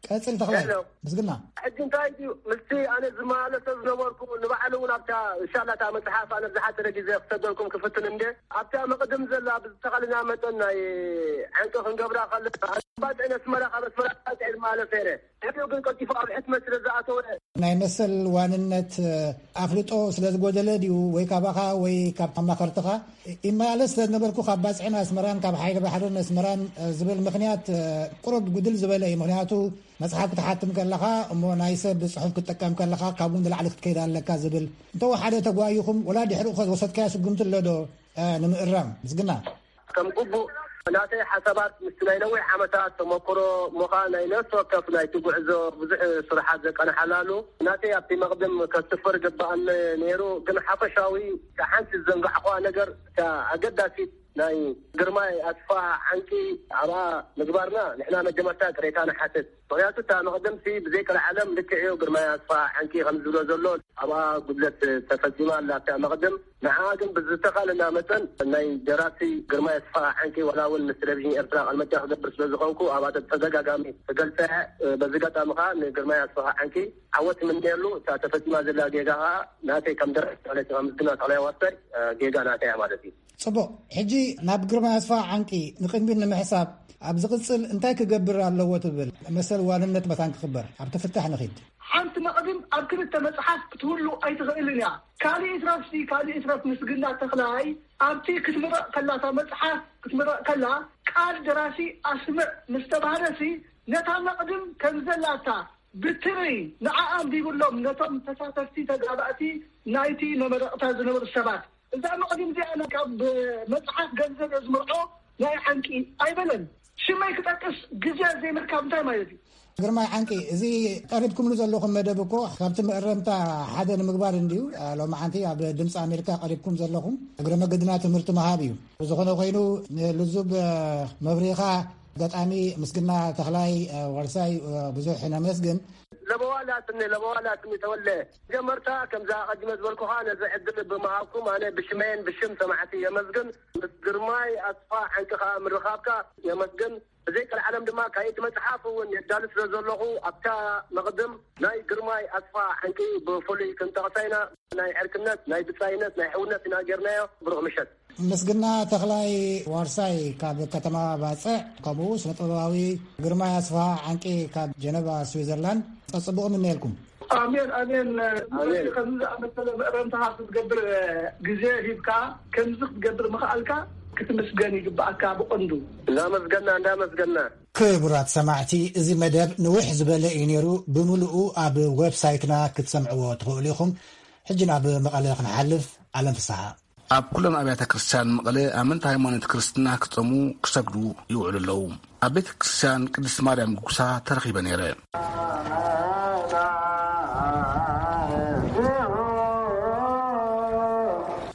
ቀጽል ተኽላይ። ሄሎ። ምስግና። ሕጂ እንታይ ድዩ ምስቲ ኣነ ዝመላለሶ ዝነበርኩ ንባዕሉ እውን ኣብታ ሻላታ መጽሓፍ ኣነ ዝሓደረ ግዜ ክሰደልኩም ክፍትን እንደ ኣብታ መቕድም ዘላ ብዝተኻልና መጠን ናይ ዕንቂ ክንገብራ ከለና ኣባጽዕን ኣስመራ ካብ ኣስመራ ኣባጽዕ ዝመላለስ ነይረ። ሕሪኡ ግን ቀልጢፉ ኣብ ሕትመት ስለ ዝኣተወ ናይ መሰል ዋንነት ኣፍልጦ ስለ ዝጎደለ ድዩ ወይ ካባኻ ወይ ካብ ኣማኸርትኻ ይመላለስ ስለ ዝነበርኩ ካብ ባጽዕን ኣስመራን ካብ ሓይሊ ባሕርን ኣስመራን ዝብል ምኽንያት ቁሩብ ጉድል ዝበለ እዩ። ምኽንያቱ መጽሓፍ ክትሓትም ከለኻ እሞ ናይ ሰብ ጽሑፍ ክትጥቀም ከለኻ ካብኡ ንላዕሊ ክትከይድ ኣለካ ዝብል እንተወሓደ ተጓይኹም ወላ ድሕሪኡ ከ ዝወሰድካዮ ስጉምቲ ኣሎ ዶ ንምእራም? ምስግና። ከም ግቡእ ናተይ ሓሳባት ምስቲ ናይ ነዊሕ ዓመታት ተመክሮ እሞ ኸኣ ናይ ነፍሲ ወከፍ ናይቲ ጉዕዞ ብዙሕ ስራሓት ዘቃንሓላሉ ናተይ ኣብቲ መቕድም ከስፍር ግብኣኒ ነይሩ። ግን ሓፈሻዊ እታ ሓንቲ ዝዘንጋዕኹዋ ነገር እታ ኣገዳሲት ናይ ግርማይ ኣስፋሃ ዓንቂ ኣብኣ ምግባርና ንሕና መጀመርታ ቅሬታ ንሓትት። ምኽንያቱ እታ መቕድምሲ ብዘይ ቀልዓለም ልክዕ እዩ ግርማይ ኣስፋሃ ዓንቂ ከም ዝብሎ ዘሎ ኣብኣ ጉድለት ተፈጺማ ኣላ እታ መቕድም። ንዓኣ ግን ብዝተኻለና መጠን ናይ ደራሲ ግርማይ ኣስፋሃ ዓንቂ ዋላ እውን ምስ ቴሌቪዥን ኤርትራ ቃል መጠይቕ ክገብር ስለ ዝኾንኩ ኣብኣ ተደጋጋሚ ክገልጸ እየ። በዚ ኣጋጣሚ ኸኣ ንግርማይ ኣስፋሃ ዓንቂ ዓወት ይምነየሉ። እታ ተፈጺማ ዘላ ጌጋ ኸኣ ናተይ ከም ደራሲ ማለት እዩ፣ ከም ምስግና ተኽላይ ዋርሳይ ጌጋ ናተይ እያ ማለት እዩ። ጽቡቕ። ሕጂ ናብ ግርማይ ኣስፋሃ ዓንቂ ንቕድሚት ንምሕሳብ ኣብ ዝቕጽል እንታይ ክገብር ኣለዎ ትብል? መሰል ዋንነት መታን ክኽበር ኣብቲ ፍታሕ ንኺድ። ሓንቲ መቕድም ኣብ ክልተ መጽሓፍ ክትህሉ ኣይትኽእልን እያ። ካልእ ይትረፍሲ፣ ካልእ ይትረፍ ምስግና ተኽላይ ኣብቲ ክትምረቕ ከላ፣ እታ መጽሓፍ ክትምረቕ ከላ ቃል ደራሲ ኣስምዕ ምስ ተባህለሲ ነታ መቕድም ከም ዘላታ ብትሪ ንዓ ኣንቢብሎም ነቶም ተሳተፍቲ ተጋባእቲ ናይቲ መመረቕታ ዝነበሩ ሰባት እዛ መቕድም እዚኣ ካብ መጽሓፍ ገንዘብ እየ ዝምርዖ ናይ ዓንቂ ኣይበለን። ሽመይ ክጠቅስ ግዜ ዘይምርካብ እንታይ ማለት እዩ? ግርማይ ዓንቂ፣ እዚ ቀሪብኩምሉ ዘለኹም መደብ እኮ ካብቲ መእረምታ ሓደ ንምግባር እንድዩ። ሎማዓንቲ ኣብ ድምፂ ኣሜሪካ ቀሪብኩም ዘለኹም እግረ መገድና ትምህርቲ ምሃብ እዩ። ብዝኾነ ኮይኑ ንልዙብ መብሪኻ ገጣሚ ምስግና ተኽላይ ዋርሳይ ብዙሕ ነመስግን። ለበዋላትኒ ለበዋላትኒ ተወለ፣ ጀመርታ ከምዛ ቀዲመ ዝበልኩኻ ነዚ ዕድል ብምሃብኩም ኣነ ብሽመይን ብሽም ሰማዕቲ የመስግን። ምስ ግርማይ ኣስፋ ዓንቂ ከዓ ምርኻብካ የመስግን። ብዘይ ቀልዓለም ድማ ካይቲ መፅሓፍ እውን የዳሉ ስለ ዘለኹ ኣብታ መቕድም ናይ ግርማይ ኣስፋ ዓንቂ ብፍሉይ ክንጠቕሳ ኢና። ናይ ዕርክነት ናይ ብፃይነት ናይ ሕውነት ኢና ጌርናዮ። ብሩኽ ምሸት። ምስግና ተኽላይ ዋርሳይ ካብ ከተማ ባፅዕ፣ ከምኡ ስነ ጥበባዊ ግርማይ ኣስፋ ዓንቂ ካብ ጀነቫ ስዊዘርላንድ፣ ጸጽቡቕ ምነየልኩም። ኣሜን ኣሜን። ኣሜን። ከምዚ ዝኣመሰለ መእረምታኻ ክትገብር ግዜ ሂብካ፣ ከምዚ ክትገብር ምኽኣልካ ክትምስገን ይግባኣካ ብቐንዱ። እንዳመስገና እንዳመስገና። ክቡራት ሰማዕቲ፣ እዚ መደብ ንውሕ ዝበለ እዩ ነይሩ። ብምሉኡ ኣብ ዌብሳይትና ክትሰምዕዎ ትኽእሉ ኢኹም። ሕጂ ናብ መቐለ ክንሓልፍ። ኣለም ፍስሓ። ኣብ ኩለን ኣብያተ ክርስቲያን መቐለ ኣመንቲ ሃይማኖት ክርስትና ክጸሙ ክሰግዱ ይውዕሉ ኣለዉ። ኣብ ቤተ ክርስቲያን ቅድስት ማርያም ጉጉሳ ተረኺበ ነይረ።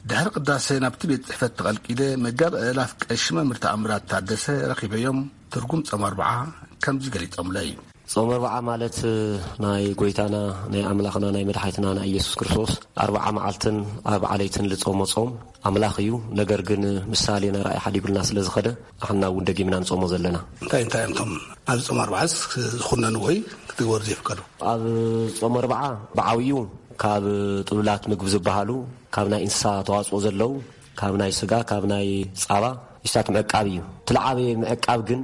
ድሕሪ ቅዳሴ ናብቲ ቤት ጽሕፈት ተቐልቂለ መጋቢ ኣእላፍ ቀሺ መምህር ተኣምራት ታደሰ ረኺበዮም ትርጉም ጾም ኣርብዓ ከምዚ ገሊጾምለይ። ጾም ኣርብዓ ማለት ናይ ጎይታና ናይ ኣምላኽና ናይ መድሓኒትና ናይ ኢየሱስ ክርስቶስ ኣርብዓ መዓልትን ኣርብዓ ለይትን ልጾሞ ጾም ኣምላኽ እዩ። ነገር ግን ምሳሌና ራእይ ሓዲጉልና ስለ ዝኸደ ኣሕና እውን ደጊምና ንጾሞ ዘለና። እንታይ እንታይ እዮም እቶም ኣብ ጾም ኣርብዓስ ዝኹነኑ ወይ ክትግበሩ ዘይፍቀዱ? ኣብ ጾም ኣርብዓ ብዓብዩ ካብ ጥሉላት ምግቢ ዝበሃሉ ካብ ናይ እንስሳ ተዋጽኦ ዘለዉ ካብ ናይ ስጋ ካብ ናይ ጻባ ኢስታት ምዕቃብ እዩ። እቲ ለዓበየ ምዕቃብ ግን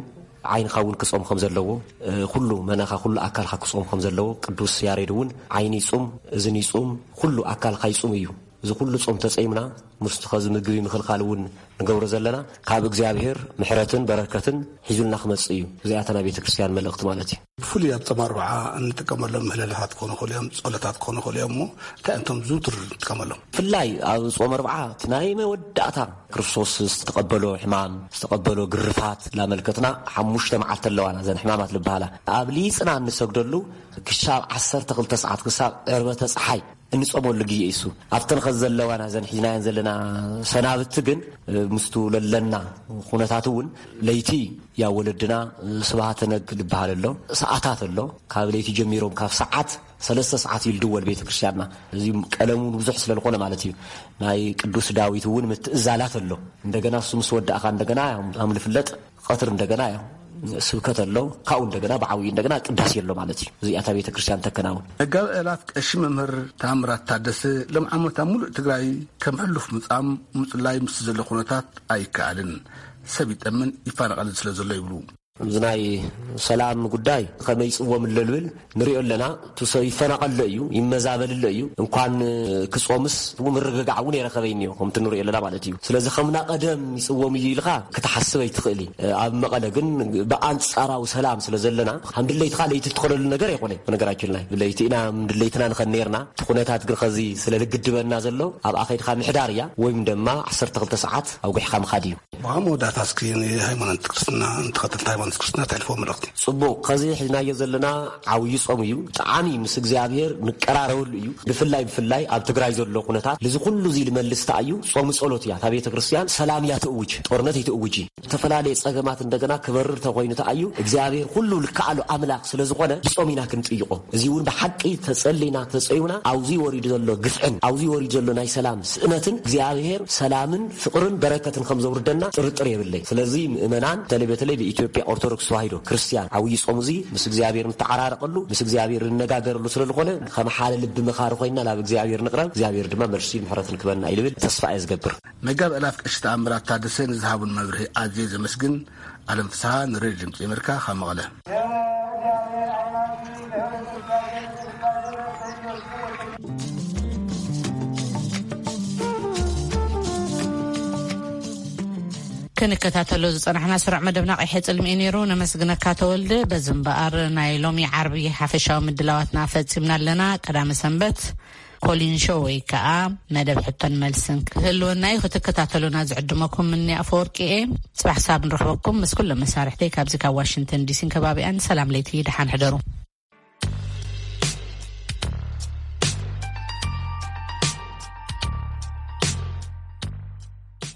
ዓይንኻ እውን ክጾም ከም ዘለዎ፣ እ፣ ኩሉ መናኻ ኩሉ ኣካልካ ክጾም ከም ዘለዎ ቅዱስ ያሬድ እውን ዓይኒ ይጹም፣ እዝኒ ይጹም፣ ኩሉ ኣካልካ ይጹም እዩ። እዚ ኩሉ ጾም ተጸይምና ምስቲ ኸዚ ምግቢ ምኽልካል እውን ንገብሮ ዘለና ካብ እግዚኣብሔር ምሕረትን በረከትን ሒዙልና ክመጽእ እዩ። እዚኣታ ናይ ቤተ ክርስቲያን መልእኽቲ ማለት እዩ። ብፍሉይ ኣብ ጾም ኣርብዓ እንጥቀመሎም ምህለላታት ክኾኑ ይኽእሉ እዮም፣ ጸሎታት ክኾኑ ይኽእሉ እዮም። እሞ እንታይ እንቶም ዝውትር እንጥቀመሎም? ብፍላይ ኣብ ጾም ኣርብዓ እቲ ናይ መወዳእታ ክርስቶስ ዝተቐበሎ ሕማም፣ ዝተቐበሎ ግርፋት ላመልከትና ሓሙሽተ መዓልቲ ኣለዋና እዘን ሕማማት ዝበሃላ። ኣብሊጽና እንሰግደሉ ክሻብ ዓሰርተ ክልተ ሰዓት ክሳብ ዕርበተ ጸሓይ እንጾመሉ ግዜ እዩ እሱ። ኣብተን ኸዚ ዘለዋና እዘን ሒዝናየን ዘለና ሰናብቲ ግን፣ ምስቱ ለለና ኩነታት እውን ለይቲ ያ ወለድና ስብሃተ ነግ ዝበሃል ኣሎ፣ ሰዓታት ኣሎ። ካብ ለይቲ ጀሚሮም ካብ ሰዓት ሰለስተ ሰዓት እዩ ዝድወል ቤተ ክርስቲያንና። እዚ ቀለሙ ብዙሕ ስለ ዝኾነ ማለት እዩ። ናይ ቅዱስ ዳዊት እውን ምትእዛላት ኣሎ። እንደገና እሱ ምስ ወዳእኻ እንደገና ያው ከም ዝፍለጥ ቀትር እንደገና ያው ስብከት ኣሎ፣ ካብኡ እንደገና ብዓብዩ እንደገና ቅዳሴ ኣሎ ማለት እዩ። እዚኣ እታ ቤተ ክርስቲያን ተከናውን። መጋቢ ኣእላፍ ቀሺ መምህር ታምራት ታደሰ ሎም ዓመት ኣብ ሙሉእ ትግራይ ከም ሕሉፍ ምጻም ምጽላይ ምስ ዘሎ ኩነታት ኣይከኣልን፣ ሰብ ይጠምን ይፋነቐልን ስለ ዘሎ ይብሉ። እዚ ናይ ሰላም ጉዳይ ከመይ ይጽወም ኣሎ ልብል ንሪኦ ኣለና። እቲ ሰብ ይፈናቐሎ እዩ፣ ይመዛበልሎ እዩ። እንኳን ክጾምስ ምርግጋዕ እውን የረኸበ እኒኦ ከምቲ ንሪኦ ኣለና ማለት እዩ። ስለዚ ከምና ቀደም ይጽወም እዩ ኢልካ ክትሓስብ ኣይትኽእል እዩ። ኣብ መቐለ ግን ብኣንጻራዊ ሰላም ስለ ዘለና ከም ድለይትኻ ለይቲ ትኸለሉ ነገር ኣይኮነ። በነገራችን ላይ ብለይቲ ኢና ድለይትና ንኸን ነርና። እቲ ኩነታት ግን ኸዚ ስለ ልግድበና ዘሎ ኣብኣ ኸይድካ ምሕዳር እያ ወይም ድማ ዓሰርተ ክልተ ሰዓት ኣውጊሕካ ምኻድ እዩ። ብኣ መወዳእታ እስኪ ንሃይማኖት ክርስትና ንተኸተልቲ ሃይማኖት ክርስትና ተሕልፎ መልእኽቲ። ጽቡቕ፣ ከዚ ሒዝናዮ ዘለና ዓብዪ ጾም እዩ። ብጣዕሚ ምስ እግዚኣብሔር ንቀራረበሉ እዩ። ብፍላይ ብፍላይ ኣብ ትግራይ ዘሎ ኩነታት ልዚ ኩሉ እዚ ልመልስ ተኣዩ ጾም ጸሎት እያ። እታ ቤተ ክርስቲያን ሰላም እያ ትእውጅ፣ ጦርነት ኣይትእውጅ። ዝተፈላለየ ጸገማት እንደገና ክበርር ተኮይኑ ተኣዩ እግዚኣብሔር ኩሉ ልከኣሉ ኣምላኽ ስለ ዝኾነ ብጾም ኢና ክንጥይቆ። እዚ እውን ብሓቂ ተጸሊና ተጸዩና ኣብዚ ወሪዱ ዘሎ ግፍዕን ኣብዚ ወሪዱ ዘሎ ናይ ሰላም ስእነትን እግዚኣብሔር ሰላምን ፍቕርን በረከትን ከም ዘውርደና ጥርጥር የብለይ። ስለዚ ምእመናን በተለይ በተለይ ብኢትዮጵያ ኦርቶዶክስ ተዋሂዶ ክርስቲያን ዓብዪ ጾም እዚ ምስ እግዚኣብሔር ንተዓራረቀሉ ምስ እግዚኣብሔር ንነጋገረሉ ስለ ዝኾነ ከም ሓደ ልቢ መኻሪ ኮይና ናብ እግዚኣብሔር ንቕረብ፣ እግዚኣብሔር ድማ መልሲ ምሕረትን ክበና እዩ ልብል ተስፋ እየ ዝገብር። መጋቢ ኣእላፍ ቀሺ ተኣምራት ታደሰ ንዝሃቡን መብርሂ ኣዝየ ዘመስግን። ኣለም ፍስሓ ንሬድዮ ድምፂ ኣሜሪካ ካብ መቐለ። ክንከታተሎ ዝጸናሕና ስሩዕ መደብና ቀይሐ ጽልሚ እዩ ነይሩ። ነመስግነካ ተወልደ። በዚ እምበኣር ናይ ሎሚ ዓርቢ ሓፈሻዊ ምድላዋትና ፈጺምና ኣለና። ቀዳመ ሰንበት ኮሊን ሾው ወይ ከዓ መደብ ሕቶን መልስን ክህልወና እዩ። ክትከታተሉና ዝዕድመኩም እኒ ኣፈወርቂ እየ። ጽባሕ ሳብ ንረኽበኩም ምስ ኩሎም መሳርሕተይ ካብዚ ካብ ዋሽንግተን ዲሲን ከባቢኣን። ሰላም ለይቲ፣ ደሓን ሕደሩ።